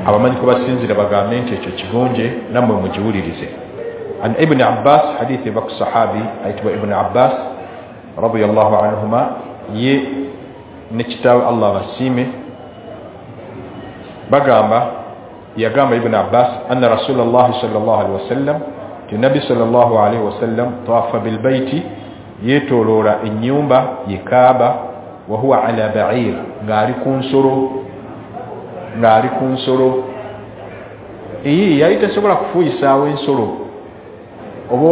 Abamanyi kubasinzira bagambe nti ekyo kigonje, nammwe mugiwulirize. An Ibn Abbas, hadithi eva ku sahabi ayitibwa Ibn Abbas radiyallahu anhuma, ye ne kitaawe Allah abasiime, bagamba, yagamba Ibn Abbas anna Rasulullah sallallahu alaihi wasallam, ti Nabi sallallahu alaihi wasallam tawafa bilbaiti, yeetooloola ennyumba ye Kaaba, wa huwa ala ba'ir, ng'ali ku nsolo, ng'ali ku nsolo. Yali tasobola kufuuyisaawo ensolo oba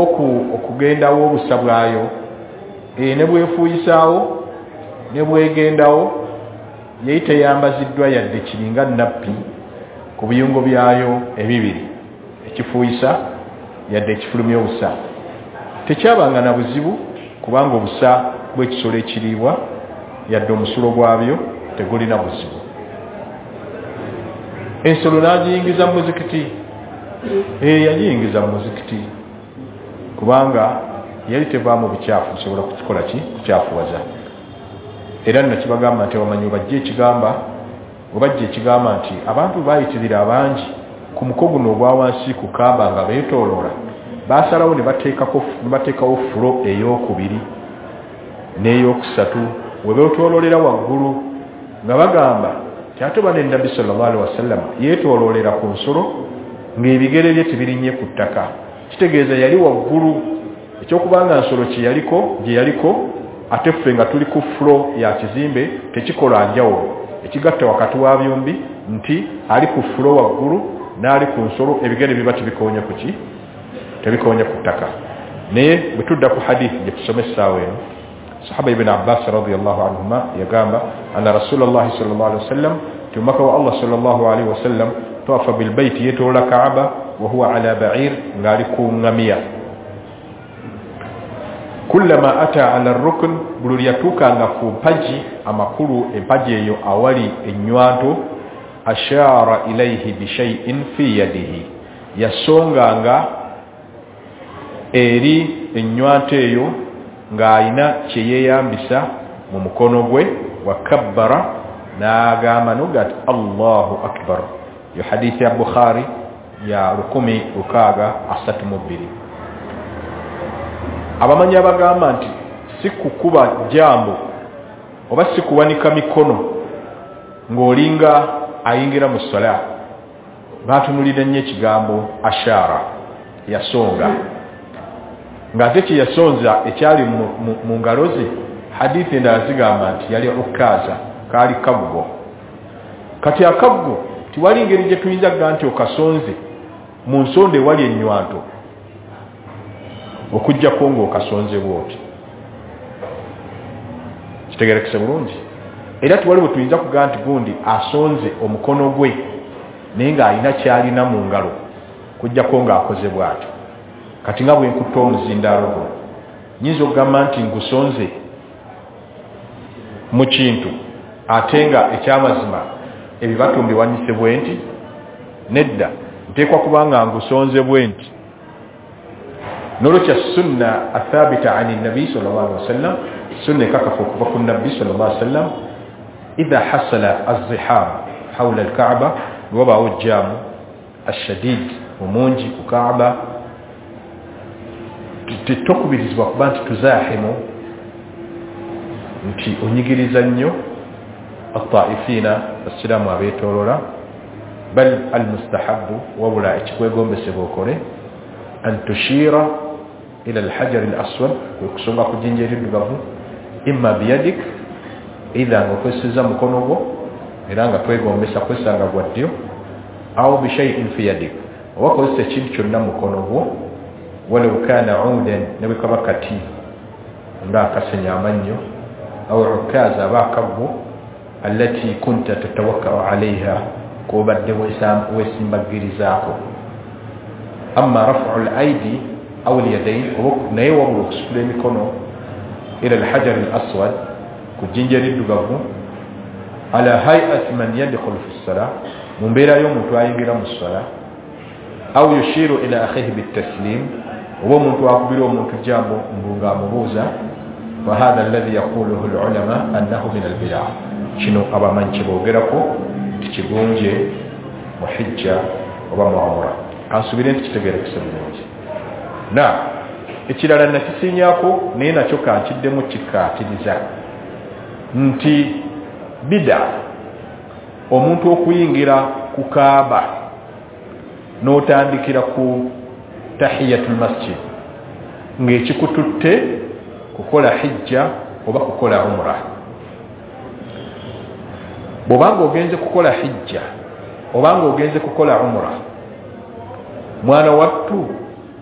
okugendawo obusa bwayo, ne bwefuuyisaawo ne bwegendawo, yali teyambaziddwa yadde kiringa nappi ku biyungo byayo ebibiri, ekifuuyisa yadde ekifulumya obusa. Tekyabanga na buzibu kubanga obusa bw'ekisolo ekiriibwa yadde omusulo gwabyo tegulina buzibu. Ensolo n'agiyingiza mu muzikiti. Yagiyingiza mu muzikiti kubanga yali tevaamu bukyafu busobola kukikola ki, kukyafuwaza. Era nno kibagamba nti abamanyi webajja ekigamba nti abantu bayitirira abangi ku muko guno ogwa wansi ku Kaaba nga beetooloola, baasalawo ne bateekawo fulo ey'okubiri n'eyokusatu we beetooloolera waggulu, nga bagamba nti ate oba ne Nabbi sallallahu alaihi wasallam yeetooloolera ku nsolo ng'ebigere bye tebirinnye ku ttaka, kitegeeza yali waggulu. Ekyokubanga nsolo gye yaliko ate ffe nga tuli ku fulo ya kizimbe tekikola njawulo. Ekigatta wakati wa byombi nti ali ku fulo waggulu n'ali ku nsolo, ebigere biba tebikoonye ku ki, tebikoonye ku ttaka. Naye bwe tudda ku hadithi gye tusoma essaawa eno, sahaba Ibn Abbas radiyallahu anhuma yagamba anna Rasulullah sallallahu alaihi wasallam, ti omubaka wa Allah sallallahu alaihi wasallam tawafa bilbaiti, yeetoloola Kaaba, wa huwa ala ba'ir, ng'ali ku ŋŋamiya. Kullama ata ala rukn, buli yatuukanga ku mpagi, amakulu empagi eyo awali ennywanto, ashara ilaihi bishay'in fi yadihi, yasonganga eri ennywanto eyo ng'alina kye yeeyambisa mu mukono gwe, wa kabbara, n'agamba noga nti Allahu akbar. Yo hadithi ya Bukhari ya 1632. Abamanyi abagamba nti si kukuba jambo oba si kuwanika mikono ng'olinga ayingira mu ssala, baatunulira nnyo ekigambo ashara, yasonga, ng'ate kye yasonza ekyali mu ngalo ze. Hadithi endala zigamba nti yali ukkaza, kaali kaggo. Kati akaggo tiwali ngeri gye tuyinza kuga nti okasonze mu nsonda ewali ennywanto, okuggyako ng'okasonze bw'oti. Kitegeerekese bulungi. Era tiwali bwe tuyinza kuga nti gundi asonze omukono gwe naye ng'alina ky'alina mu ngalo, kuggyako ng'akoze bw'atyo. Kati nga bwe nkutta omuzindaalo guno, nyinza okugamba nti ngusonze mu kintu ate nga ekyamazima ebibatu mbiwanyise bwe nti? Nedda, nteekwa kuba nga ngusonze bwe nti. Nolwekyo sunna athabita ani nabi sallallahu alaihi wasallam, sunna ekakafu okuva ku nabbi sallallahu alaihi wasallam, idha hasala azziham hawla alkaaba, wabaawo jaamu ashadid omungi ku Kaaba, tetokubirizibwa kuba nti tuzahimu, nti onyigiriza nnyo ataifina, abasiraamu abeetoolola. Bal almustahabu, wabula ekikwegombesebwa okole, an tushira ila alhajari al aswad, kwe kusonga ku jjinja eriddugavu, imma biyadik, eitha nga okozesezza mukono gwo, era nga twegombesa kwesanga gwa ddyo, aw bishaiin fi yadik, oba kozesa ekintu kyonna mukono gwo, walau kana udan, ne bwe kaba kati nga akasenya amannyo, aw ukaza, aba akaggo, allati kunta tatawakkau alaiha, k'obadde weesimbagirizaako. Amma rafu al aidi aw alyadain, naye wabula okusitula emikono ila alhajari al aswad, ku jjinja eriddugavu, ala hayati man yadkhulu fi ssala, mu mbeera y'omuntu ayingira mu ssala, aw yushiru ila akhihi bitaslim, oba omuntu akubira omuntu jambo mbu ng'amubuuza. Fahadha alladhi yaquluhu alulama annahu min albidaa, kino abamanyi kye boogerako nti kigunje. Mu hijja oba mu umra. Kansubire nti kitegeerekese bulungi. Na ekirala nakisinyako, naye nakyo kankiddemu kikkaatiriza nti bida omuntu okuyingira ku Kaaba n'otandikira ku tahiyatul masjid ng'ekikututte kukola hijja oba kukola umra. Bw'obanga ogenze kukola hijja obanga ogenze kukola umra, mwana wattu,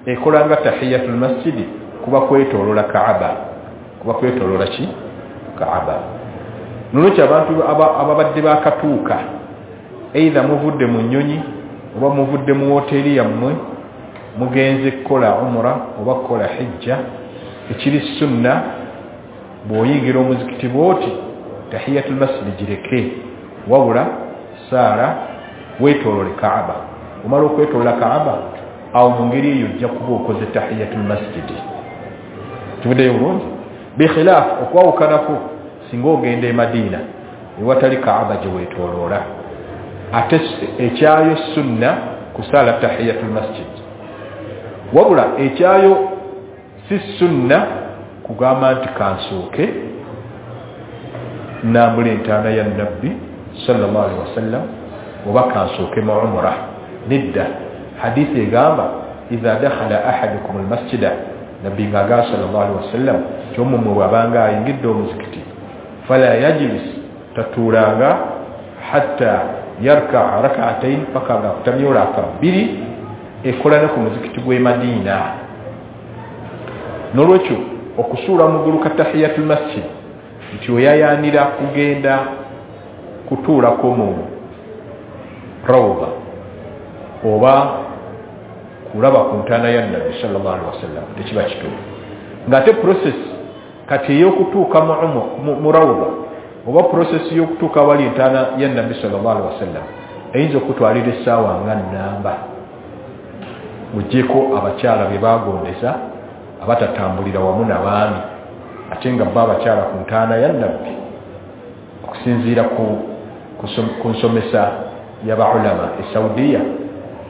ekola nga tahiyatul masjidi kuba kwetoolola Kaaba, kuba kwetoolola ki? Kaaba. Nolwekyo abantu ababadde bakatuuka, either muvudde mu nnyonyi oba muvudde mu woteeri yammwe, mugenze kukola umra oba kukola hijja, ekiri sunna bw'oyingira omuzikiti bw'oti tahiyatul masjidi gireke, wabula saala weetoolole Kaaba. Omala okwetolola Kaaba, awo mu ngeri eyo ojja kuba okoze tahiyatul masjidi. Tuvuddeyo bulungi? Bikhilaafu, okwawukanako, singa ogenda e Madiina ewatali Kaaba gye weetooloola, ate ekyayo sunna kusaala tahiyatul masjid, wabula ekyayo si sunna kugamba nti kansooke nambula entaana ya Nabbi sallallahu alaihi wasallam oba kansooke mu umra. Nedda, hadithi egamba idha dakhala ahadukum almasjida, Nabbi ng'agamba sallallahu alaihi wasallam kyomumwe bw'abanga ayingidde omuzikiti, fala yajlis, tatuulanga, hatta yarkaa rak'atayn, paka nga akutamye raka bbiri. Ekola ne ku muzikiti gw'e Madiina. Nolwekyo okusuula mugulu ka tahiyatul masjid nti oyayaanira kugenda kutuulako mu rawda oba kulaba ku ntaana ya Nabbi sallallahu alaihi wasallam tekiba kituufu. Ng'ate process kati ey'okutuuka mu rawda oba process y'okutuuka awali entaana ya Nabbi sallallahu alaihi wasallam eyinza okutwalira essaawa nga nnamba, muggyeko abakyala be baagondeza abatatambulira wamu n'abaami, ate nga bo abakyala ku ntaana ya Nabbi okusinziira ku nsomesa y'abaulama e Saudiya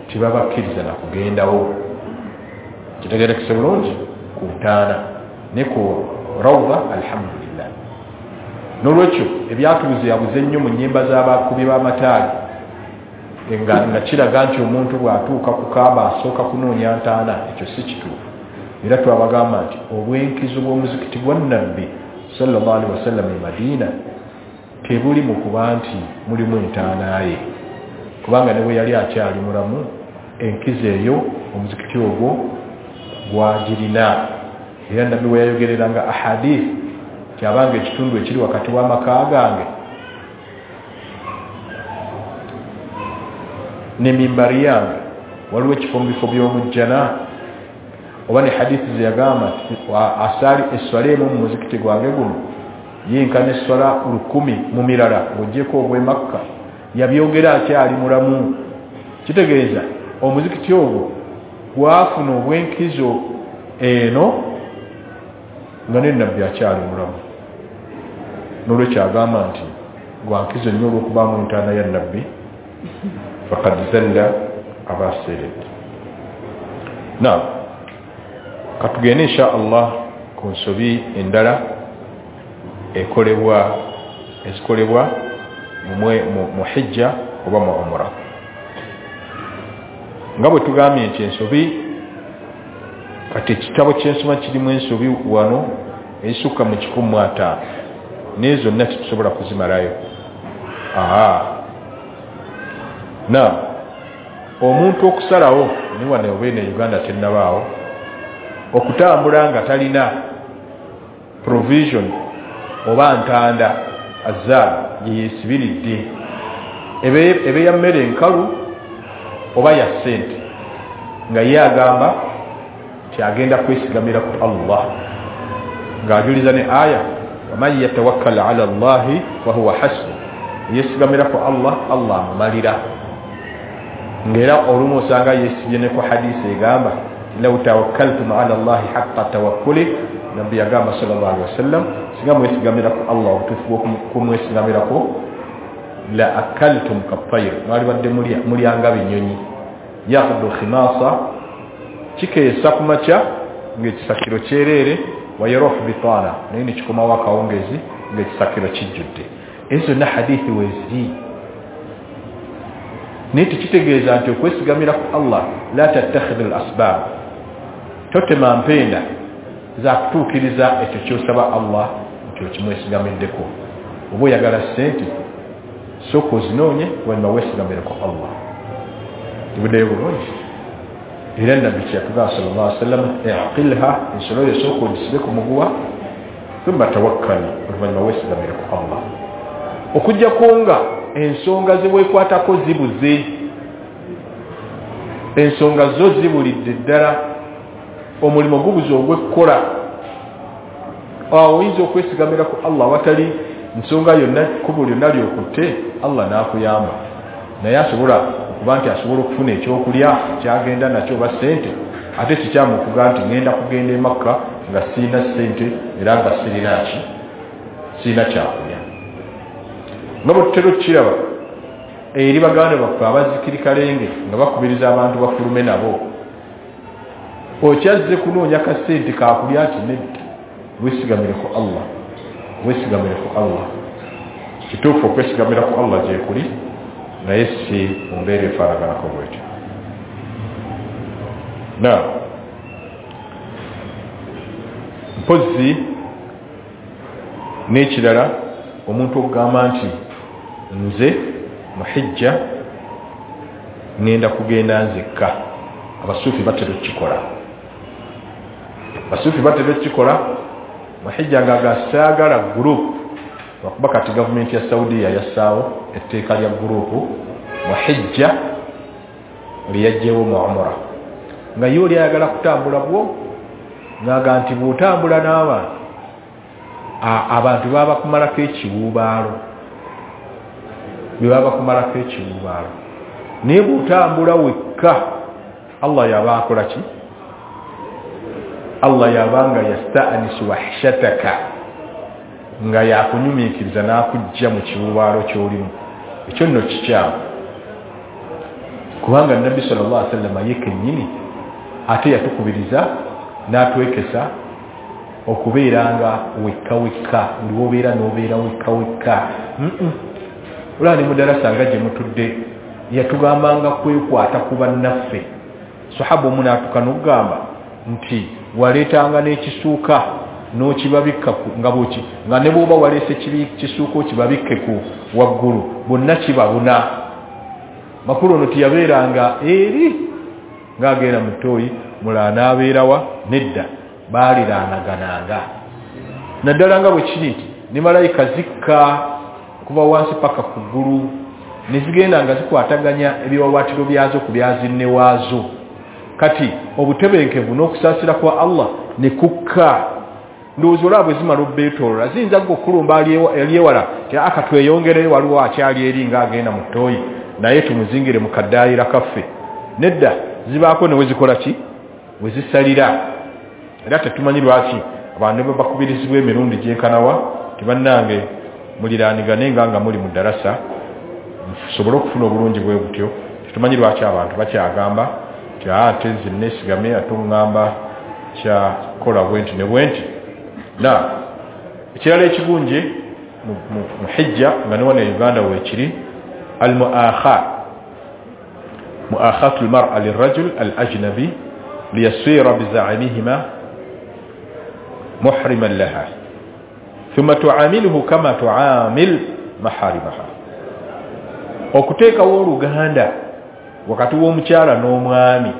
tebabakkiriza na kugendawo. Kitegeerekese bulungi? Ku ntaana ne ku rawda, alhamdulillah. Nolwekyo ebyatubuze yabuze nnyo mu nnyimba z'abakubi b'amataali nga kiraga nti omuntu bw'atuuka ku Kaaba asooka kunoonya ntaana. Ekyo si kituufu. Era twabagamba nti obwenkizo bw'omuzikiti gwa Nabbi sallallahu alaihi wasallam e Madiina tebuli mu kuba nti mulimu entaana ye, kubanga ne bwe yali akyali mulamu enkizo eyo omuzikiti ogwo gwagirina. Era Nabbi we yayogereranga ahadith kyabanga ekitundu ekiri wakati w'amaka gange ne mimbari yange waliwo ekifo mu bifo by'omujjana, oba ne hadithi ze yagamba asaali esswala emu mu muzikiti gwange guno yenkana esswala 1000 mu mirala ng'oggyeko ogw'e Makka, yabyogera akyali mulamu. Kitegeeza omuzikiti ogwo gwafuna obwenkizo eno nga ne Nabbi akyali mulamu. Nolwekyo agamba nti gwankizo nnyo olw'okubaamu entaana ya Nabbi, faqad zalla abaseeredde. Naam, katugende insha Allah ku nsobi endala ekolebwa ezikolebwa mu hijja oba mu umra. Nga bwe tugambye nti ensobi, kati ekitabo ky'ensoma kirimu ensobi wano ezisukka mu 150, naye zonna tetusobola kuzimalayo. Na omuntu okusalawo ni wano oba eno e Uganda tennabaawo okutambula nga talina provision oba ntanda azaal gye yeesibiridde, ebe ya mmere enkalu oba ya ssente, nga ye agamba nti agenda kwesigamira ku Allah, ng'ajuliza ne aya waman yatawakkal ala Allahi fahuwa hasbu, yeesigamira ku Allah, Allah amumalira. Ng'era olumu osanga yeesibye ne ku hadisi egamba law tawakkaltum ala Allahi haqqa tawakkuli, Nabbi yagamba sallallahu alaihi wasallam singa mwesigamira ku Allah obutuufu bw'okumwesigamirako La akaltum kattayr, mwalibadde mulyanga binyonyi. Yakhdu khimasa, kikeesa ku makya ng'ekisakiro kyereere, wa yaruhu bitana, naye ne kikomawo akawungezi ng'ekisakiro kijjudde. Ezo zonna hadithi weeziri, naye tekitegeeza nti okwesigamira ku Allah la tattakhidhu al asbab, totema mpenda za kutuukiriza ekyo ky'osaba Allah nti okimwesigamiddeko. Oba oyagala ssente, sooka ozinoonye, wanyuma weesigamire ku Allah. Tibuddeyo bulungi. Era Nabbi kyeyatugamba sallallahu alaihi wasallam, iqilha, ensolo yo sooka ogisibe ku muguwa, thumma tawakkal, oluvannyuma weesigamire ku Allah. Okuggyako nga ensonga ze weekwatako zibuze, ensonga zo zibulidde ddala, omulimu gubuze ogw'ekkola, awo oyinza okwesigamira ku Allah watali nsonga yonna, kkubo lyonna lyokutte, Allah n'akuyamba. Naye asobola okuba nti asobola okufuna ekyokulya kyagenda nakyo oba ssente, ate kikyamu okugaa nti ŋŋenda kugenda e Makka nga sirina ssente era nga sirina ki, sirina kyakulya. Nga bwe tutera okukiraba eri baganda baffe abazikirikalenge nga bakubiriza abantu bafulume nabo, okyazze kunoonya kasente kakulya nti nedda, weesigamire ku Allah, weesigamire ku Allah. Kituufu okwesigamira ku Allah gyekuli, naye si mu mbeera efaanaganako bwetyo. Na mpozzi n'ekirala, omuntu okugamba nti nze mu hijja ŋŋenda kugenda nzekka, abasuufi batera okukikola. Abasuufi batera okukikola mu hijja nga saagala gurupu, lwakuba kati gavumenti ya Saudiya yassaawo etteeka lya gurupu mu hijja lyeyaggyewo mu umura, nga ye oli ayagala kutambula bwo, ng'aga nti bw'otambula n'abantu, abantu baba bakumalako ekiwuubaalo, bwe baba bakumalako ekiwuubaalo. Naye bw'otambula wekka, Allah yaba akola ki? Allah yabanga yasta'nisu wahshataka, nga yakunyumiikiriza n'akujja mu kiwuubaalo ky'olimu. Ekyo nno kikyamu, kubanga Nabbi sallallahu alaihi wasallam ye kennyini ate yatukubiriza n'atwekesa okubeeranga wekka wekka, buli w'obeera n'obeera wekka wekka. Olaba ne mu darasa nga gye mutudde yatugambanga kwekwata ku bannaffe. Sahaba omu n'atuuka n'okugamba nti waleetanga n'ekisuuka n'okibabikka nga bw'oki, nga ne bw'oba waleese kisuuka okibabikke ku waggulu, bonna kibabuna. Makulu ono tiyabeeranga eri ng'agenda mu ttooyi, mulala n'abeerawa, nedda, baaliraanagananga. Naddala nga bwe kiri nti ne malayika zikka okuva wansi paka ku ggulu, ne zigenda nga zikwataganya ebiwaawaatiro byazo ku byazinne waazo. Kati obutebenkevu n'okusaasira kwa Allah ne kukka. Ndowooza olaba bwe zimala obbeetoolola, ziyinza gwe okulumba ali ewala ti aka tweyongereyo, waliwo akyali eri ng'agenda mu ttooyi, naye tumuzingire mu kaddaayira kaffe. Nedda, zibaako ne we zikola ki, we zisalira. Era tetumanyi lwaki abantu ne bakubirizibwa emirundi gyenkanawa ti bannange muliraanigane nga muli mu ddarasa musobole okufuna obulungi bwe butyo. Tetumanyi lwaki abantu bakyagamba nti ate nze neesigame, ate oŋŋamba kyakola bwe nti ne bwe nti. Na ekirala ekigunje mu hijja nga ne wano e Uganda weekiri, al muakha, muakhatu lmara lirajul al ajnabi liyasira bizaimihima muhriman laha thumma tuamiluhu kama tuamil maharimaha. Okuteekawo oluganda wakati w'omukyala n'omwami,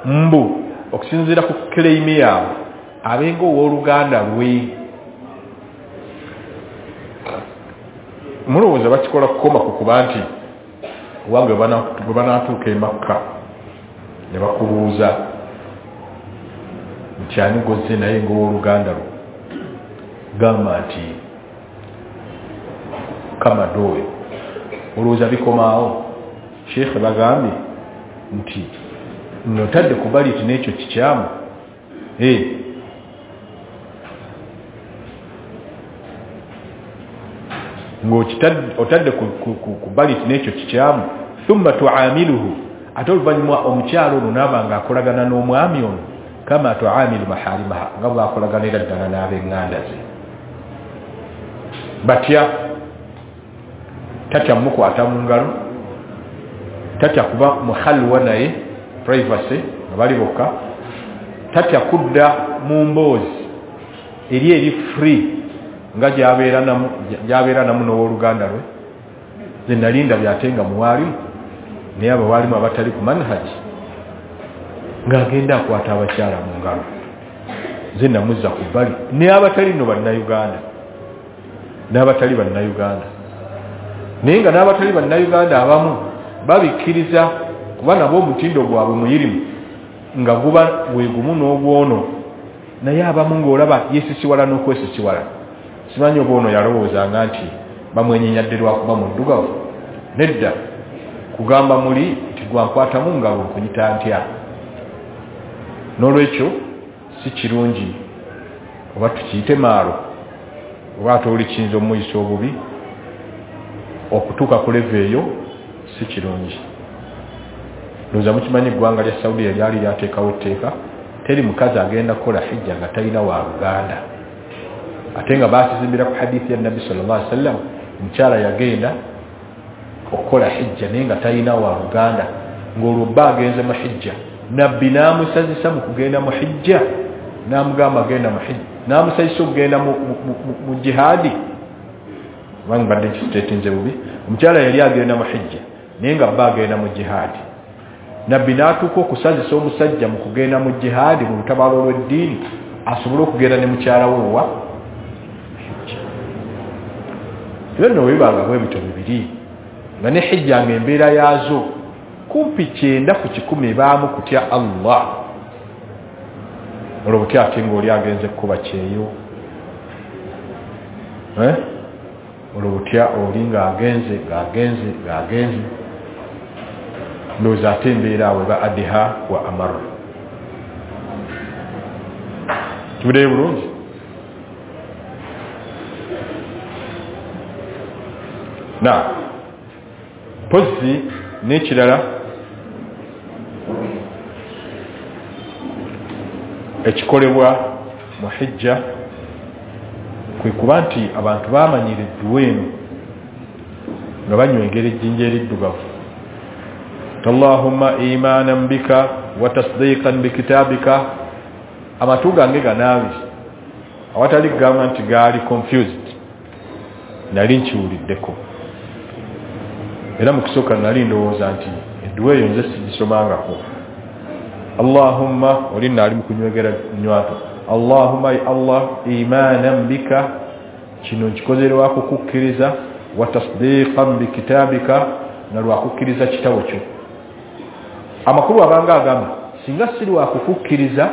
mbu okusinziira ku claim yaabwe abenga ow'oluganda lwe. Mulowooza bakikola kukoma ku kuba nti owange bwe banaatuuka e Makka ne bakubuuza nti ani gozze naye ng'owooluganda lwo, gamba nti Kamada oyo. Olowooza bikomaawo? Sheikh bagambye nti notadde kubali nti n'ekyo kikyamu. Ng'otadde ku bbali nti n'ekyo kikyamu. Thumma tuamiluhu, ate oluvannyuma omukyala ono naaba ng'akolagana n'omwami ono kama tuamilu maharimaha, nga bw'akolaganira ddala n'ab'eŋŋanda ze. Batya? Tatya mukwata mu ngalo, tatya kuba muhalwa naye privacy nga bali bokka, tatya kudda mu mboozi eri eri free nga gy'abeera namu n'owooluganda lwe. Nze nali ndabye ate nga muwaalimu, naye abawaalimu abatali ku manhaji ng'agenda akwata abakyala mu ngalo. Nze namuzza ku bbali, naye abatali nno bannayuganda, n'abatali bannayuganda, naye nga n'abatali bannayuganda abamu babikkiriza kuba nabo omutindo gwabwe muyirimu nga guba gwe gumu n'ogwono, naye abamu ng'olaba yeesisiwala n'okwesisiwala. Simanyi oba ono yalowoozanga nti bamwenyenyadde lwakuba muddugavu. Nedda, kugamba muli nti gwankwatamu ngalo nkuyita ntya. N'olwekyo si kirungi, oba tukiyite maalo, oba ate oli kiyinza omuyisa obubi okutuuka ku level eyo, si kirungi. Ndowooza mukimanyi eggwanga lya Saudiya lyali lyateekawo etteeka, teri mukazi agenda kukola hijja nga talina wa luganda, ate nga bakizimbira ku hadithi ya Nabbi sallallahu alaihi wasallam. Omukyala yagenda okukola hijja naye nga talina wa luganda, ng'olwo bba agenze mu hijja, Nabbi n'amusazisa mu kugenda mu hijja, n'amugamba agenda mu hijja, n'amusazisa okugenda mu jihaadi. Kubanga mbadde nkisiteetinze bubi, omukyala yali agenda mu hijja naye nga bba agenda mu jihaadi. Nabbi n'atuuka okusazisa omusajja mu kugenda mu jihaadi, mu lutabaalo lw'eddiini, asobole okugenda ne mukyala we wa hijja. Ebyo nno bwe bibanga bwe bityo bibiri, nga ne hijja ng'embeera yaazo kumpi 90% ebaamu kutya Allah. Olwo butya ate ng'oli agenze kukuba kyeyo, olwo butya oli ng'agenze ng'agenze ng'agenze, ndowooza ate embeera awo eba adiha wa amara. Kibuddeyo bulungi. Na mpozzi n'ekirala ekikolebwa mu hijja kwe kuba nti abantu baamanyira edduwa eno nga banywegera ejjinja eriddugavu, Allahumma imanan bika wa tasdiqan bikitabika. Amatu gange ganaabi awatali kugamba nti gaali confused, nali nkiwuliddeko, era mu kusooka nali ndowooza nti edduwa eyo nze sigisomangako. Allahumma, oli nno ali mu kunywegera nywato, Allahumma ya Allah imanan bika, kino nkikoze lwakukukkiriza, wa tasdiqan bikitabika, na lwakukkiriza kitabo kyo. Amakulu abanga agamba singa si lwakukukkiriza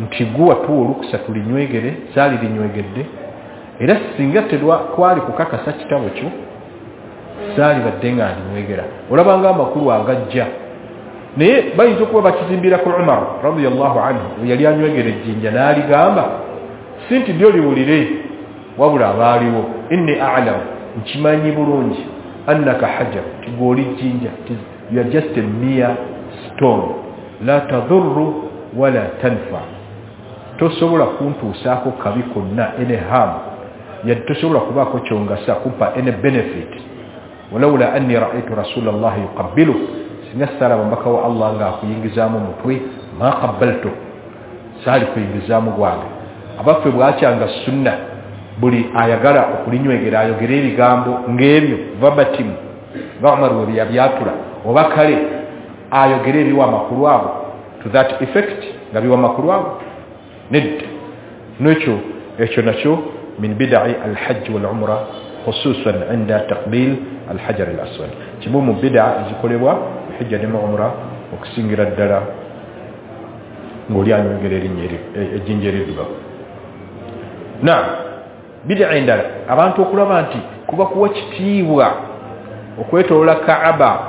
nti gwe watuwa olukusa tulinywegere, saali linywegedde, era singa twali kukakasa kitabo kyo saali badde nga ndinywegera. Olabanga amakulu agajja, naye bayinza okuba bakizimbira ku Umar radiyallahu anhu, yali anywegera ejjinja n'aligamba si nti ddyo liwulire, wabula abaaliwo, inni a'lamu, nkimanyi bulungi, annaka hajar, nti gwe oli jjinja, you are just a mere stone, la tadurru wala tanfa, tosobola kuntuusaako kabi konna, any harm, yadde tosobola kubaako kyongasa kumpa any benefit. Walawula anni ra'aytu rasulallahi yuqabbilu, singa saalaba mubaka wa Allah ng'akuyingizaamu mutwe, ma qabbaltu, saali kuyingizaamu gwange. Abaffe bwakyanga sunna buli ayagala okulinywegera ayogere ebigambo ng'ebyo verbatim nga Umar we yabyatula, oba kale ayogere ebiwa amakulu ago to that effect nga biwa amakulu ago, nedda. N'ekyo ekyo nakyo min bidai alhajj wal umra khususan inda taqbil alhajar al aswad, kimu mu bida ezikolebwa hijja ne umra okusingira ddala ng'oli anywegera erinnya ejjinja eriddugavu. Na bida endala abantu okulaba nti kuba kuwa kitiibwa okwetoloola Kaaba,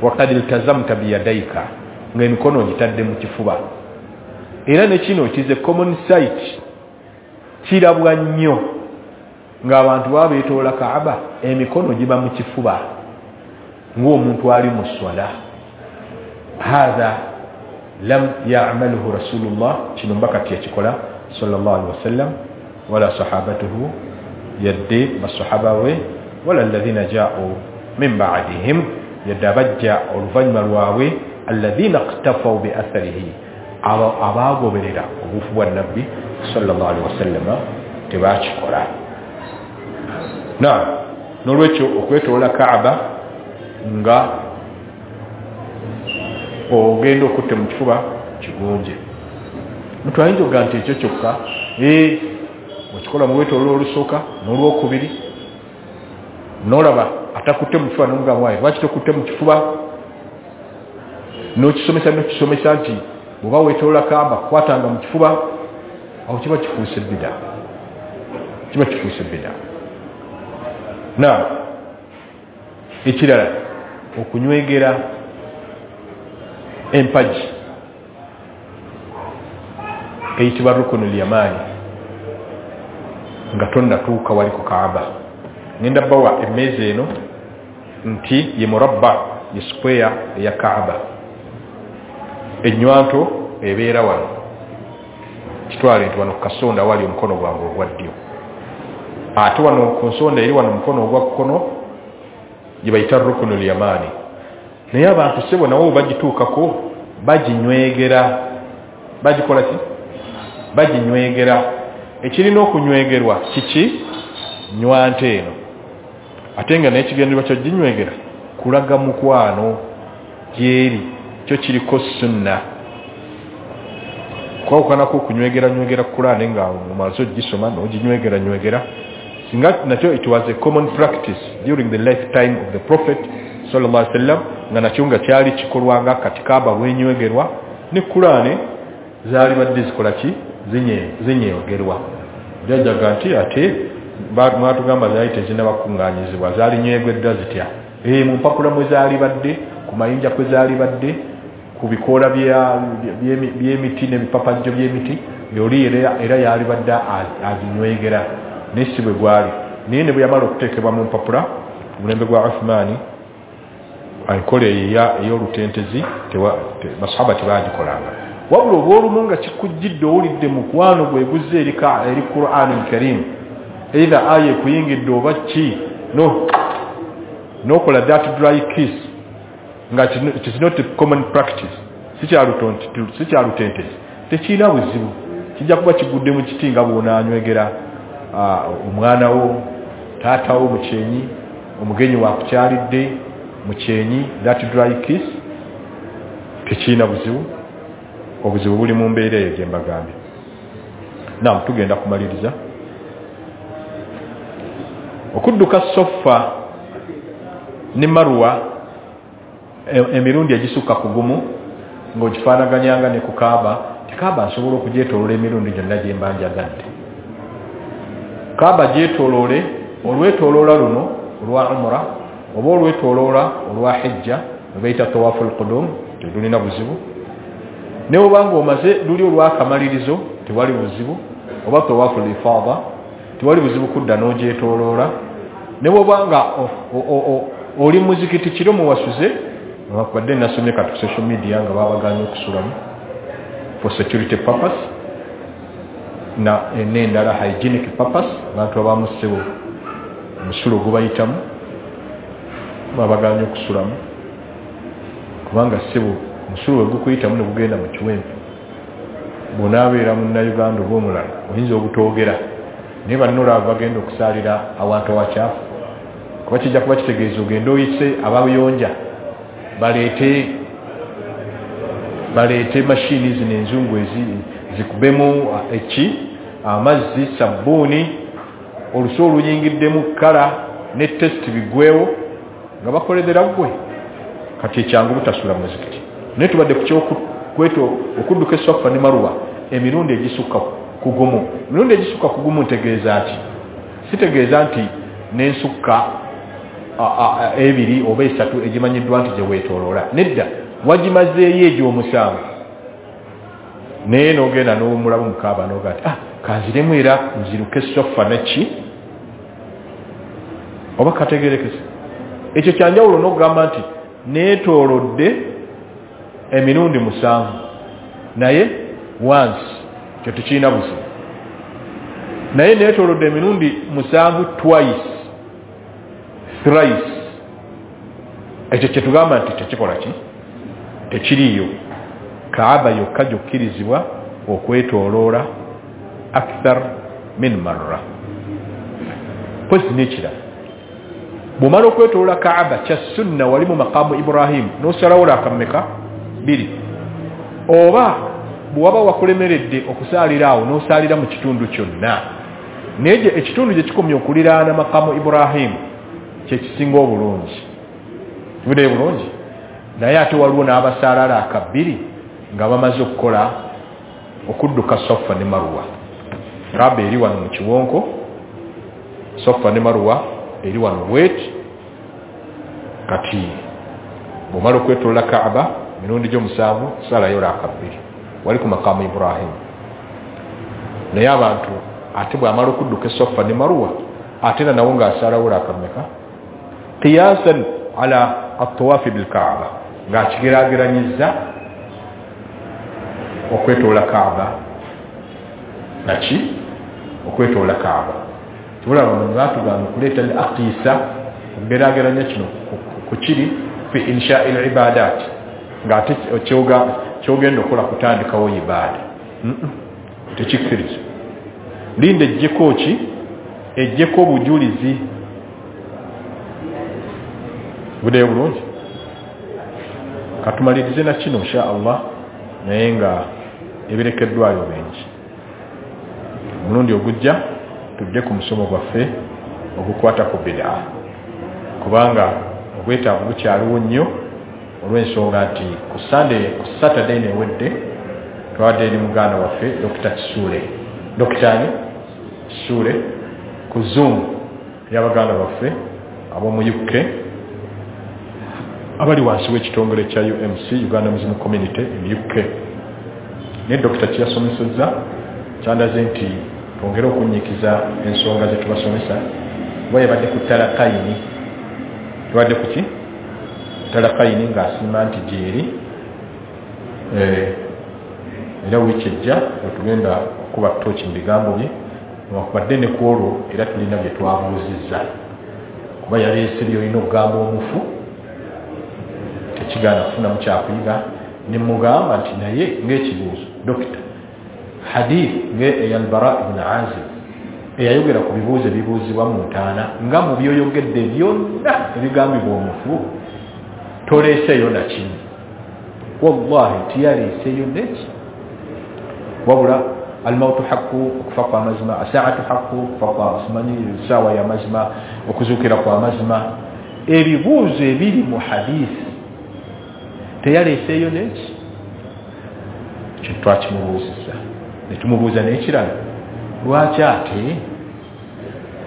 waqad iltazamta biyadaika, ng'emikono ogitadde mu kifuba. Era ne kino it is a common sight, kirabwa nnyo. Ng'abantu baba beetoola Kaaba, emikono giba mu kifuba ng'omuntu ali mu swala. Hatha lam ya'malhu Rasulullah, kino mbaka teyakikola sallallahu alaihi wasallam, wala sahabatuhu, yadde basahaba we, wala alladhina ja'u min ba'dihim, yadde abajja oluvannyuma lwabwe, alladhina iqtafaw bi atharihi, abaagoberera obufu bwa Nabbi sallallahu alaihi wasallam tebakikola. Na nolwekyo okwetoola Kaaba nga ogenda okutte mu kifuba kigunje. Muntu ayinza okugaa nti ekyo kyokka, okikola mu lwetooloola olusooka n'olwokubiri, n'olaba atakutte mu kifuba n'omugamba waaye lwaki tokutte mu kifuba, n'okisomesa n'okisomesa nti bw'oba weetoloola Kaaba kwatanga mu kifuba, awo kiba kifuuse bida, kiba kifuuse bida. Na ekirala okunywegera empagi eyitibwa Rukunul Yamani nga tonnatuuka wali ku Kaaba. Ngenda bawa emmeeza eno nti ye murabba, ye square eya Kaaba. Ennywanto ebeera wano, kitwale nti wano ku kasonda wali omukono gwange ogwa ddyo, ate wano ku nsonda eri wano omukono ogwa kkono gye bayita Rukunul Yamani. Naye abantu ssebo nabo bagituukako baginywegera, bagikola ki? Baginywegera. Ekirina okunywegerwa kiki? Nywanta eno. Ate nga n'ekigendererwa kyo ginywegera kulaga mukwano gyeri, kyo kiriko sunna. Kwawukanako okunywegera nywegera Kulaane nga omaze ogisoma n'oginywegera nywegera, singa nakyo it was a common practice during the lifetime of the Prophet sallallahu alaihi wasallam, nga nakyo nga kyali kikolwanga kati Kaaba bwenywegerwa ne Kulaane zaali badde zikola ki? Zinyegerwa. Jajjaga nti ate mwatugamba zaali tezinnabakuŋŋaanyizibwa, zaali nywegweddwa zitya? Mu mpapula mwe zaali badde, ku mayinja kwe zaali badde, ku bikoola by'emiti n'ebipapajjo by'emiti, yoli era yali badde aginywegera, naye si bwe gwali. Naye ne bwe yamala okuteekebwa mu mpapula ku mulembe gwa Uthmaani, enkola eyo ey'olutentezi basahaba tebagikolanga. Wabula obw'olumu nga kikujjidde owulidde mukwano gwe guzze eri Qur'an al-Karim, either aya ekuyingidde oba ki, no n'okola that dry kiss, nga it is not a common practice, si kyalutentezi, tekirina buzibu, kijja kuba kigudde mu kiti nga bw'onaanywegera omwana wo, taata wo mu kyenyi, omugenyi wakukyalidde mu kyenyi, that dry kiss tekirina buzibu. Obuzibu buli mu mbeera eyo gye mbagambye. Naam, tugenda kumaliriza. Okudduka Sofa ne Marwa emirundi egisukka ku gumu ng'ogifaanaganyanga ne ku Kaaba, ti Kaaba nsobola okugyetooloola emirundi gyonna gye mba njagadde. Kaaba gyetooloole olwetooloola luno olwa Umra oba olwetooloola olwa Hijja lwe bayita Tawaful Qudum, tetulina buzibu. Ne oba ng'omaze luli olwakamalirizo tewali buzibu, oba Tawaful Ifada tewali buzibu kudda n'ogyetooloola. Ne bw'oba nga oli muzikiti kiro muwasuze, newakubadde nasomye kati ku social media nga babagaanye okusulamu for security purpose na n'endala hygienic purpose, abantu abamu ssebo omusulo gubayitamu babagaanye okusulamu, kubanga ssebo omusulo we gukuyitamu ne gugenda mu kiwempe, bw'onaabeera munnayuganda oba omulala oyinza obutoogera, naye banno olaba bagenda okusaalira awantu awakyafu, kuba kijja kuba kitegeeza ogende oyise abayonja baleete mashini zino enzungu zikubemu eki amazzi, sabbuuni, olusu oluyingiddemu kala ne test bigwewo nga bakoledera ggwe. Kati ekyangu butasula muzikiti. Naye tubadde ku kyokweto okudduka Safa ne Marwa emirundi egisukka ku gumu. Emirundi egisukka ku gumu ntegeeza ki? Sitegeeza nti n'ensukka ebiri oba esatu egimanyiddwa nti gye weetooloola. Nedda, wagimazeeyo egy'omusanvu, naye n'ogenda n'owummulamu mu Kaaba n'ogaa nti kanziremu era nziruke Safa neki Oba kategerekese? Ekyo kyanjawulo n'okugamba nti neetoolodde emirundi 7, naye once kyo tekirina buzibu, naye neetoolodde emirundi 7 twice, thrice, ekyo kyetugamba nti tekikola ki, tekiriiyo. Kaaba yokka gyokkirizibwa okwetooloola akthar min marra. Pozi n'ekirala, bw'omala okwetoloola Kaaba kya sunna wali mu maqaamu Ibrahim n'osalawo lakammeka 2, oba bw'waba wakulemeredde okusaalira awo n'osaalira mu kitundu kyonna, naye ekitundu gye kikomye okuliraana maqaamu Ibrahim kye kisinga obulungi. Kibuddeyo bulungi. Naye ate waliwo n'abasaala laaka 2 nga bamaze okukola okudduka Safa ne Marwa. Kaaba eri wano mu kiwonko, Safa ne Marwa eri wano bweti. Kati bw'omala okwetoloola Kaaba mirundi gyo 7, salayo laaka 2 wali ku maqaamu Ibrahim. Naye abantu ate bw'amala okudduka Safa ne Marwa ate era nawo ng'asalawo laaka mmeka? Qiyasan ala at-tawafi bil-Kaaba, ng'akigeraageranyizza okwetoloola Kaaba naki, okwetoloola Kaaba. Tubulaba mu batugamba okuleeta ne aqisa okugeraageranya kino ku kiri fi insha'i al-ibadat, ng'ate kyogenda okukola kutandikawo ibaada. Tekikkiriza. Linda ejjeko ki, ejjeko obujulizi. Buddeyo bulungi. Katumalirize na kino insha Allah, naye nga ebirekeddwayo bingi. Omulundi ogujja tudde ku musomo gwaffe ogukwata ku bid'a, kubanga obwetaavu bukyaliwo nnyo, olw'ensonga nti ku Sunday, ku Saturday newedde twadde eri muganda waffe Dr. Kisuule, Dr. Kisuule ku Zoom y'abaganda baffe ab'omu UK abali wansi w'ekitongole kya UMC, Uganda Muslim Community in UK. Naye Dr. kiyasomesezza kyandaze nti twongere okunnyikiza ensonga ze tubasomesa, kuba yabadde ku talakayini, yabadde ku ki? Talakayini, ng'asiima nti gyeri. Era wiiki ejja wetugenda okuba tooki mu bigambo bye, newankubadde ne ku olwo era tulina bye twabuuzizza, kuba yaleese by'olina okugamba omufu tekigaana kufunamu kyakuyiga. Ne mugamba nti naye ng'ekibuuzo dokita, hadith ng'eya Al-Bara ibn Azib eyayogera ku bibuuzo ebibuuzibwa mu ntaana, nga mu byoyogedde byonna ebigambibwa omufu toleeseeyo na kimu. Wallahi tiyaleeseeyo neki, wabula almautu haqqu, okufa kwa mazima, asaatu haqqu, okufa kwa simanyi essaawa ya mazima, okuzuukira kwa mazima. Ebibuuzo ebiri mu hadisi teyaleeseeyo neki, kye twakimubuuzizza. Ne tumubuuza n'ekirala, lwaki ate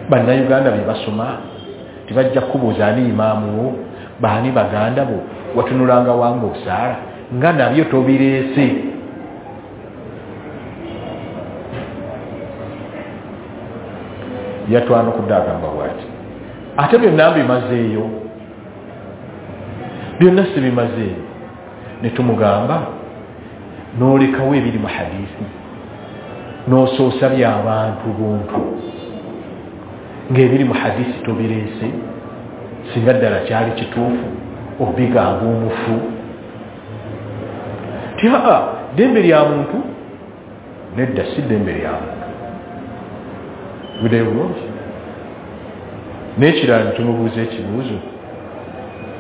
bannayuganda bye basoma tebajja kukubuuza ani imaamu wo, baani baganda bo, watunulanga wange osaala, nga nabyo tobireese. Yatwanukudde agamba bw'ati, ate byonna mbimazeeyo, byonna sibimazeeyo. Ne tumugamba n'olekawo ebiri mu hadisi, n'osoosa by'abantu buntu, ng'ebiri mu hadisi tobireese. Singa ddala kyali kituufu obigamba omufu ti aa, ddembe lya muntu. Nedda, si ddembe lya muntu. Buddeyo bulungi. N'ekirala netumubuuza ekibuuzo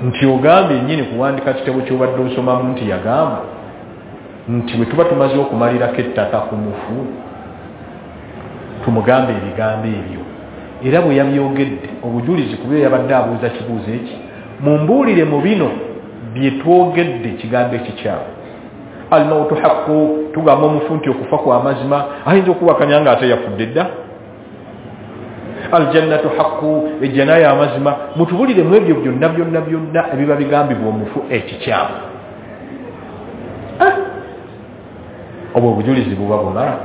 nti ogambye nnyini kuwandika kitabo ky'obadde osomamu nti yagamba nti bwe tuba tumaze okumalirako ettaka ku mufu tumugambe ebigambo ebyo, era bwe yabyogedde obujulizi ku byo yabadde abuuza kibuuzo eki, mumbuulire mu bino bye twogedde kigambo ekikyamu. Almautu haqqu, tugamba omufu nti okufa kwa mazima, ayinza okuwakanya nga ate yafudde dda. Aljannatu haqqu, ejjana ya mazima. Mutubulire mu ebyo byonna byonna byonna ebiba bigambibwa omufu ekikyamu. Obwo obujulizi buba bumala.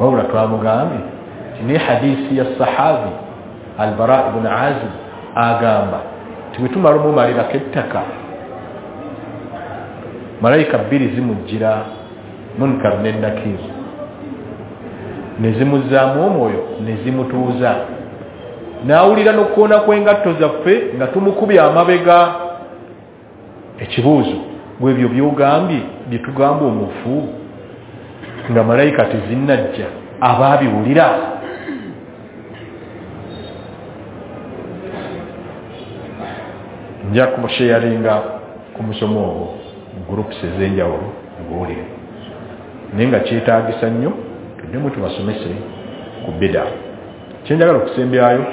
Wabula twamugambye nti ne hadisi ya sahabi Albara ibn Azib agamba nti bwe tumala omumalirako ettaka, malayika bbiri zimujjira, Munkar ne Nakir, ne zimuzzaamu omwoyo ne zimutuuza, n'awulira n'okukoona kw'engatto zaffe nga tumukubye amabega. Ekibuuzo, bwebyo byogambye bye tugamba omufu nga malayika tezinnajja abaabiwulira? Nja kubasheyaringa ku musomo ogwo mu groups ez'enjawulo nguwulire, naye nga kyetaagisa nnyo tuddemu tubasomese ku bida. Kyenjagala okusembyayo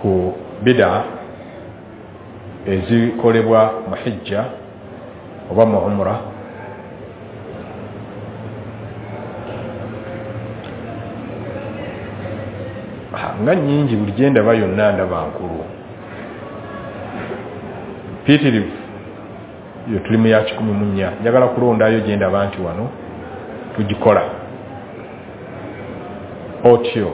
ku bida ezikolebwa mu hijja oba mu umra, nga nnyingi, buli gye ndaba yonna ndaba nkulu mpitirivu. Yo tuli mu ya 14, njagala kulondayo gye ndaba nti wano tugikola otyo.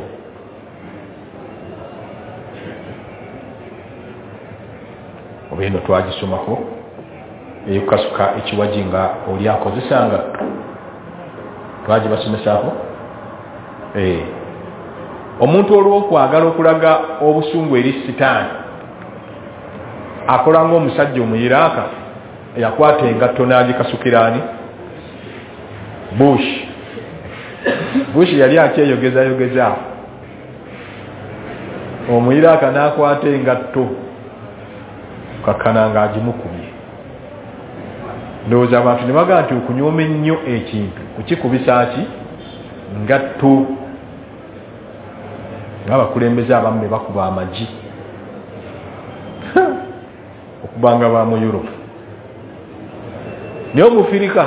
Oba eno twagisomako eyokukasuka ekiwaji nga oli akozesanga, twagibasomesaako. Omuntu olw'okwagala okulaga obusungu eri sitaani akola ng'omusajja omuyiraaka yakwata engatto n'agikasukiraani Bush. Bush yali akyeyogezayogeza, omuyiraaka n'akwata engatto kakkana ng'agimukubye. Ndowooza abantu ne bagamba nti okunyooma ennyo ekintu kukikubisa ki ngatto, ng'abakulembeze abamu be bakuba amagi okubanga ba mu Europe. Naye omufirika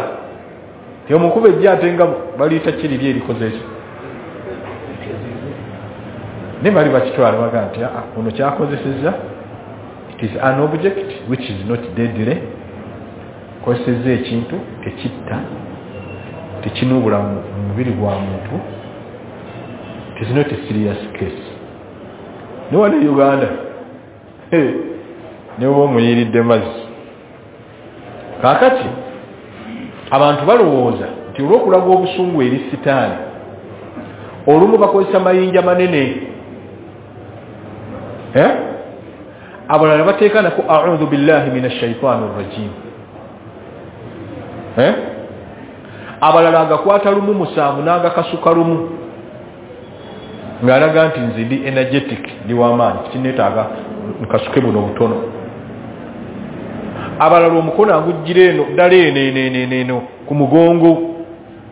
omukuba ejja ate nga baliyita kiriri erikoze ekyo, naye bali bakitwala bagamba nti ono kyakozesezza it is an object which is not deadly, kozesezza ekintu tekitta, tekinuubula mu mubiri gwa muntu, it is not a serious case. Ne wano e Uganda ne bw'oba omuyiiridde mazzi. Kaakati abantu balowooza nti olw'okulaga obusungu eri sitaani olumu bakozesa mayinja manene, abalala bateeka nako a'udhu billahi minash shaitani rrajim, abalala agakwata lumu musanvu n'agakasuka lumu ng'alaga nti nze ndi energetic, ndi w'amaanyi, kineetaaga nkasuke buno butono. Abalala omukono agujjira eno ddala eno eno eno eno ku mugongo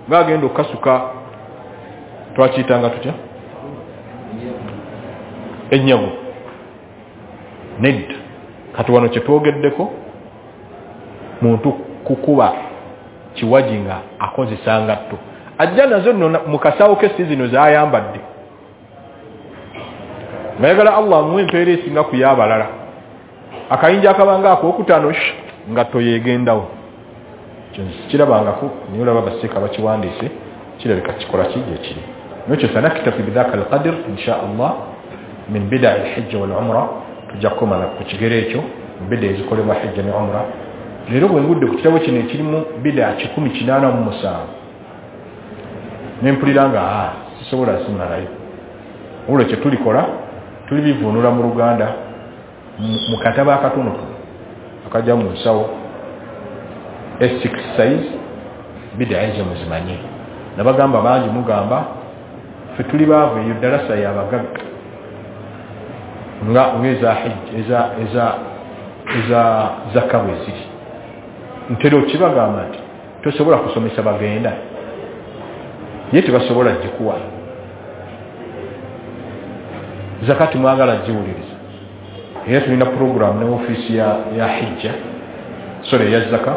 ng'agenda okukasuka, twakiyitanga tutya ennyago? Nedda. Kati wano kye twogeddeko muntu kukuba kiwaji nga akozesa ngatto, ajja nazo nno mu kasawo ke si zino z'ayambadde, ng'ayagala Allah amuwe empeera esinga ku y'abalala. Akayinja akabanga akookutaano ngatto yeegendawo. Kyo kirabangako naye olaba baseeka bakiwandiise, kirabika kikola ki gye kiri. Nekyo sanaktafi bidhaka alqadr insha Allah min bidai lhijja wal umra, tujja kukomana ku kigero ekyo mu bida ezikolebwa hijja ne umra. Leero bwe ngudde ku kitabo kino ekirimu bida 187 ne mpulira nga sisobola simalayo. Olwo kye tulikola tulibivuunula mu Luganda mu katabo akatonotono akajja mu nsawo A6 size, bida ezo muzimanye. Nabagamba bangi mugamba ffe tuli baavu, eyo ddalasa y'abagagga nga eza hijja eza zaka bwe ziri. Ntera okibagamba nti tosobola kusomesa bagenda, ye tebasobola gikuwa. Zakati mwagala giwuliriza, era tulina puroguramu ne ofiisi ya hijja, sorry eya zaka,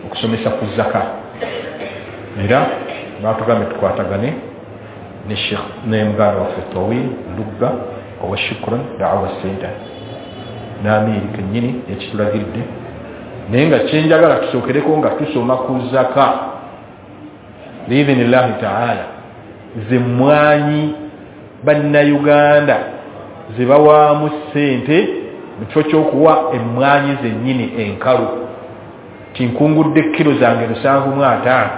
okusomesa ku zaka. Era batugambye tukwatagane ne Sheikh ne muganda waffe Tawil Lugga owa Shukran Da'wa Center n'amiiri kennyini ekitulagiridde, naye nga kyenjagala tusookereko nga tusoma ku zaka biidhinillahi taala. Zemmwanyi Bannayuganda ze bawaamu ssente mu kifo ky'okuwa emmwanyi zennyini enkalu. Tinkungudde kiro zange 75,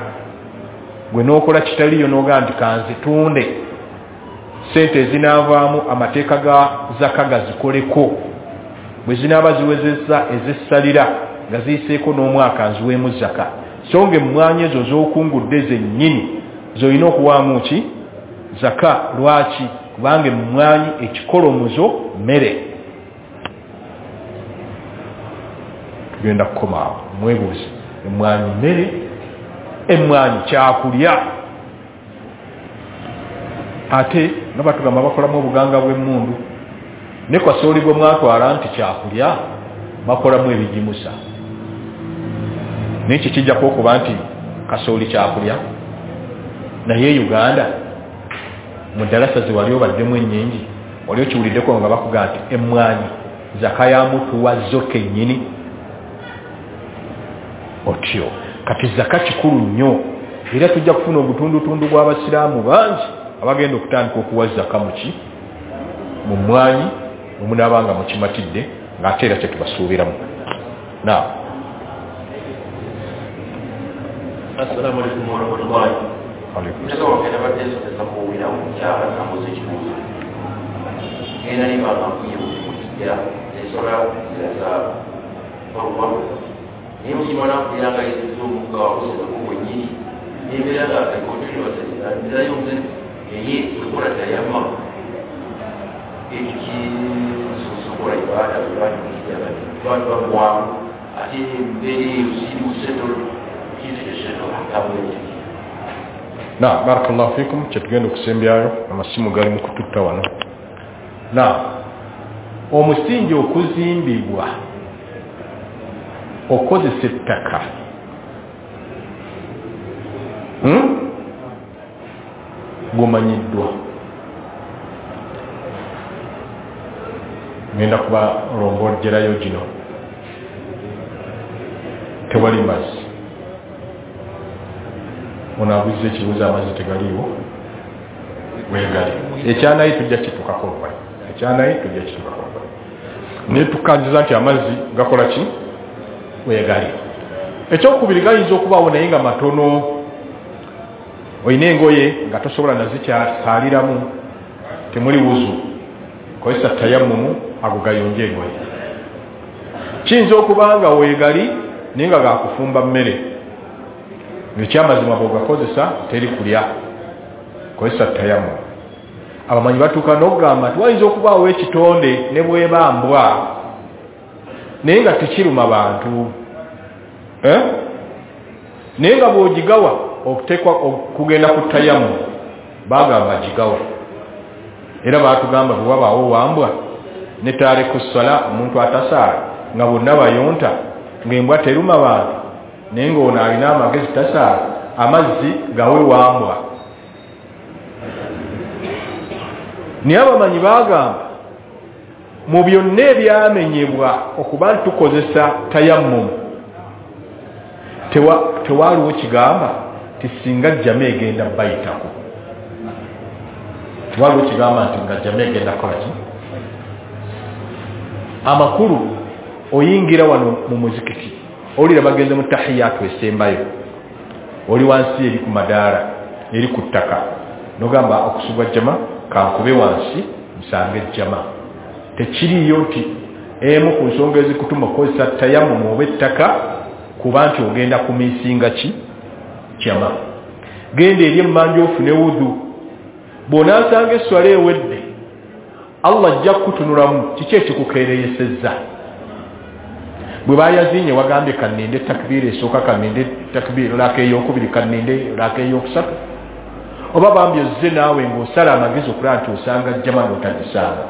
gwe n'okola kitaliyo n'ogaa nti kanzitunde, ssente ezinaavaamu amateeka ga zaka gazikoleko, bwe zinaaba ziwezezza ezessalira nga ziyiseeko n'omwaka nziweemu zaka. So nga emmwanyi ezo z'okungudde zennyini z'olina okuwaamu ki? Zaka. Lwaki? Kubanga emmwanyi ekikolomuzo mmere. Tugenda kukomaawo mwebuuze, emmwanyi mmere? Emmwanyi kyakulya. Ate nga batugamba bakolamu obuganga bw'emmundu, ne kasooli gwe mwatwala nti kyakulya bakolamu ebigimusa. Naye kikijjako okuba nti kasooli kyakulya. Naye Uganda mu ddalasa ze wali obaddemu ennyingi, wali okiwuliddeko nga bakuga nti emmwanyi zaka ya mutuwa zo kennyini otyo. Kati zaka kikulu nnyo, era tujja kufuna ogutundutundu gw'abasiraamu bangi abagenda okutandika okuwa zaka muki? Mu mmwanyi, omunaabanga mukimatidde ng'ate era kyetubasuubiramu. Naam. Assalamu alaikum warahmatullahi. Na barakallahu fikum, kyetugenda okusembyayo amasimu gali mu kututta wano. Na omusingi okuzimbibwa okozesa ettaka, gumanyiddwa. Ngenda kuba lombojjerayo gino. Tewali mazzi. Ono abuuza ekibuuzo, amazzi tegaliiwo? Weegali. Ekyanayi tujja kitukako oluvannyuma. Ekyanayi tujja kitukako oluvannyuma. Naye tukkanjiza nti amazzi gakola ki? Weegali. Ekyokubiri, gayinza okubaawo naye nga matono. Olina engoye nga tosobola nazikyasaaliramu, temuli wuzu, kozesa tayammumu, ago gayonje engoye. Kiyinza okuba nga weegali naye nga gakufumba mmere, ekyamazima bw'ogakozesa teri kulya, kozesa tayammumu. Abamanyi batuuka n'okugamba nti wayinza okubaawo ekitonde ne bweba mbwa naye nga tekiruma bantu, naye nga bw'ogigawa okuteekwa okugenda ku tayammumu, bagamba gigawa. Era baatugamba bwe wabaawo wambwa ne taariku ssala, omuntu atasaala nga bonna bayonta, ng'embwa teruma bantu, naye ng'ono alina amagezi tasaala, amazzi gawe wambwa. Naye abamanyi baagamba mu byonna ebyamenyebwa okuba nti tukozesa tayammumu, tewaaliwo kigamba nti singa jjama egenda bayitako. Tewaaliwo kigamba nti nga jjama egenda kukola ki? Amakulu, oyingira wano mu muzikiti, owulira bagenze mu tahiyatu esembayo, oli wansi eri ku madaala, eri ku ttaka, nogamba okusubwa jjama kankube wansi nsange jjama. Tekiriiyo nti emu ku nsonga ezikutuma okukozesa tayammumu oba ettaka kuba nti ogenda kumisinga ki? Jjama. Genda eri emmanja ofune wudu, bw'onaasanga esswala ewedde, Allah ajja kukutunulamu kiki ekikukeereyesezza. Bwe bayazinye wagambye kanninde takbiira esooka, kanninde takbiira laka eyokubiri, kanninde laka eyokusatu, oba bambi ozze naawe ng'osala amagezi okulaba nti osanga jjama n'otagisanga.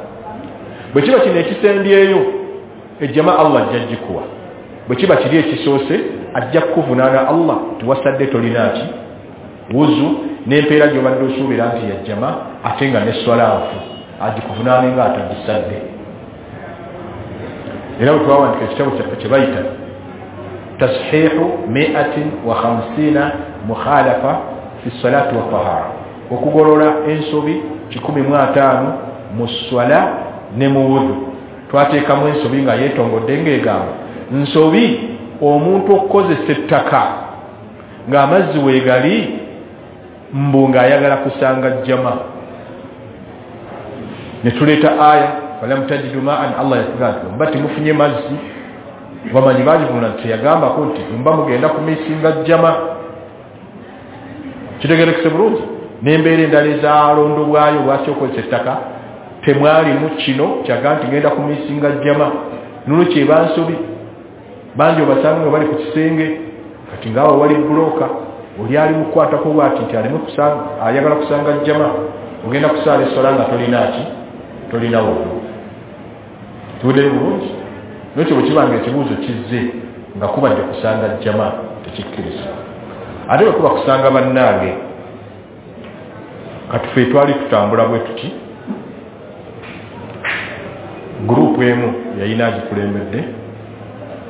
Bwe kiba kino ekisembyeyo, ejjama Allah ajja gikuwa. Bwe kiba kiri ekisoose, ajja kukuvunaana Allah tiwasadde tolina ki? Wuzu, n'empeera gy'obadde osuubira nti yajjama, ate nga n'esswala nfu, agikuvunaane nga atagisadde. Era bwe twawandika ekitabo kyaffe kye bayita tashihu 150 mukhalafa fi salati wa tahara, Okugolola ensobi 150 mu swala ne mu wudu. Twateekamu ensobi nga yeetongodde ng'egamba nsobi omuntu okukozesa ettaka ng'amazzi weegali mbu ng'ayagala kusanga jjama. Ne tuleeta aya falam tajidu ma'an, Allah yatugamba nti mba temufunye mazzi. Bamanyi bagivuna nti teyagambako nti mba mugenda kumisinga jjama. Kitegerekese bulungi. N'embeera endala ezalondobwayo lwaki okozesa ettaka temwalimu kino kyaga nti ngenda kumisinga jjama. Nolwekyo eba nsobi. Bangi obasanga nga bali ku kisenge kati ngaawo wali bulooka oli ali mukukwatako bwati nti aleme kusanga, ayagala kusanga jjama. Ogenda kusaala essola nga tolina ki, tolina wudu. Tuwuddeyo bulungi. Nolwekyo bwe kiba nga ekibuuzo kizze nga kubadde kusanga jjama tekikkirizibwa. Ate bwe kuba kusanga bannange, kati ffe twali tutambula bwe tuti, gurupu emu yalina agikulembedde,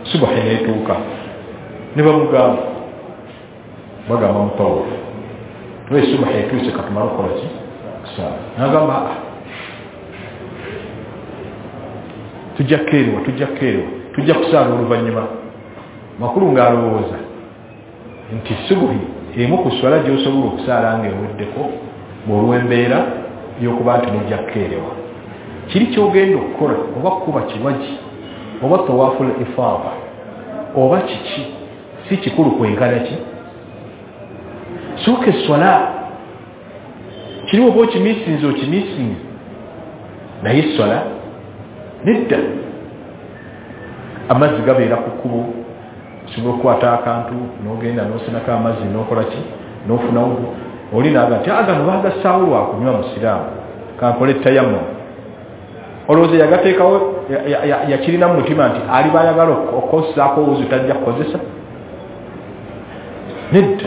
subahi n'etuuka ne bamugamba, bagamba mutawufu tuwe subahi etuuse katumale okukola ki, kusaala. N'agamba tujja kukeerewa, tujja kukeerewa, tujja kusaala oluvannyuma. Makulu ng'alowooza nti subuhi emu ku swala gy'osobola okusaala ng'eweddeko bw'olw'embeera y'okuba nti mujja kukeerewa. Kiri ky'ogenda okukola oba kukuba kiwagi oba tawaful ifaada oba kiki, si kikulu kwenkana ki. Sooka esswala kiri oba okimisinze okimisinze, naye esswala nedda. Amazzi gabeera ku kkubo, osobola okukwata akantu n'ogenda n'osenako amazzi n'okola ki, n'ofuna wudu. Oli n'agamba nti agano baagassaawo lwa kunywa musiraamu, kankole tayammum. Olowooza yagateekawo yakirina mu mutima nti aliba ayagala okukozesaako wuzu tajja kukozesa? Nedda.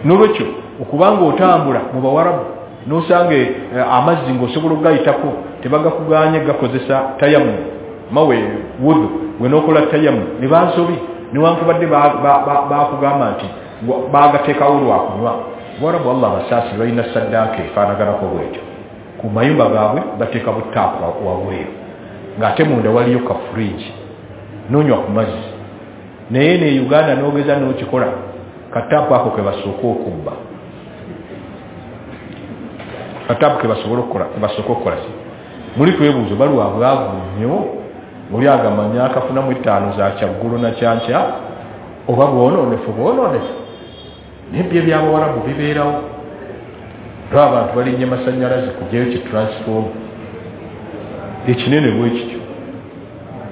Nolwekyo okubanga otambula mu Bawarabu n'osanga amazzi ng'osobola okugayitako tebagakuganye gakozesa tayammum, mawe wudu gwe n'okola tayammum ne bansobi, newankubadde bakugamba nti bagateekawo lwa kunywa. Bawarabu Allah abasaasire balina saddaaka efaanaganako bwetyo. Ku mayumba gaabwe bateeka butaapu wabweru ng'ate munda waliyo ka fridge n'onywa ku mazzi. Naye ne Uganda n'ogeza n'okikola, kataapu ako ke basooka okubba, kataapu ke basobola okukola, ke basooka okukola ki. Muli twebuuzo balwa bwavu nnyo, oli agamanya akafunamu 5 za kyaggulo na kyankya, oba bwonoonefu bwonoonefu. Naye byo eby'Abawarabu bibeerawo. Lwa abantu balinnya masannyalaze kugyayo ki transform ekinene bwe kityo,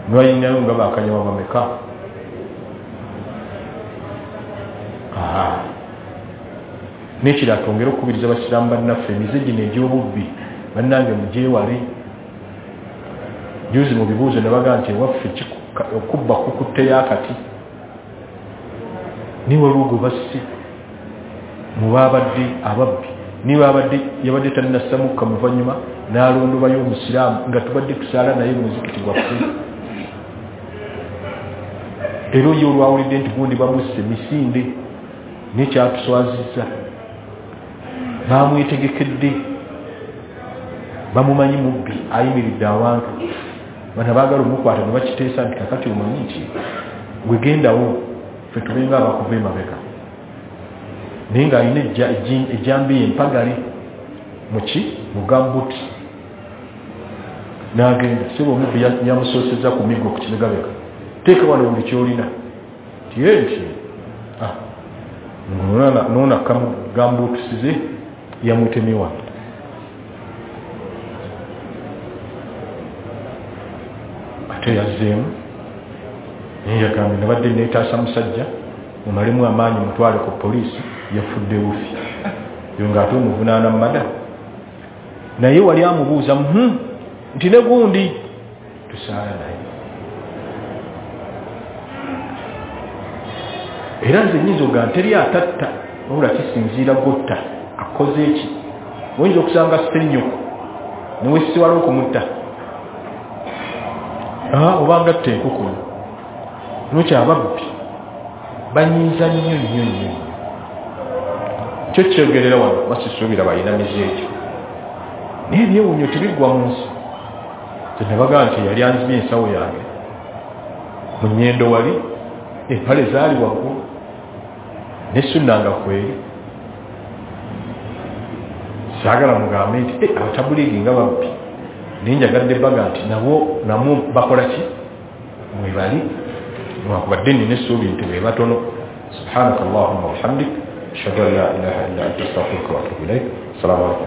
nolwayinayo nga bakanyama bameka. N'ekirala twongere okukubiriza abasiraamu bannaffe emize gino egy'obubbi bannange mugyewale. Juzi mu bibuuzo ne bagamba nti ewaffe okubba kukutteyo akati, naye waliwo gwe basse mu baabadde ababbi, niba abadde yabadde tannassamuka muvannyuma n'alondobayo omusiraamu nga tubadde tusaala naye mu muzikiti gwaffe. Era oyo olwawulidde nti gundi bamusse misinde, nekyatuswazizza, bamwetegekedde, bamumanyi mubbi ayimiridde awantu. Bano baagala omukwata ne bakiteesa nti kakati omanyi nti gwegendawo ffe tubenga abakuva emabega. Naye ng'alina ejjambiya empagale muki mu gambuti, n'agenda. Sebo omubbi yamusoosezza ku miggo ku kibegabega, teeka wano buli ky'olina. Tiye nti noonakka mu gambutusize yamutemye wano. Ate yazzeemu naye yagambye nabadde neetaasa musajja mumalemu amaanyi mutwale ku poliisi, yafudde bufi. Yo ng'ate omuvunaana mada. Naye wali amubuuza nti ne gundi tusaala naye. Era nze nnyinza okugamba teri atatta wabula kisinziira gotta akoze eki. Oyinza okusanga ssennyoko ne weesiwala okumutta, obanga atta enkukulu. Lwekyo ababbi banyiiza nnyo nnyo nnyo. Kyo kyogerera wano basisuubira balina mize ekyo, naye ebyewuunyo tebiggwa mu nsi. Tenabagaa nti yali anzibye ensawo yange mu nnyendo, wali empale zaali waggulu ne sunna nga kweri. Saagala mugambe nti abatabuliigi nga babbi, naye njagadde baga nti nabo namwo bakola ki mwebali, newankubadde nina essuubi nti be batono. Subhanaka allahumma wabihamdik, ashhadu an la ilaha illa anta, astaghfiruka wa atubu ilaik. Assalamu alaikum.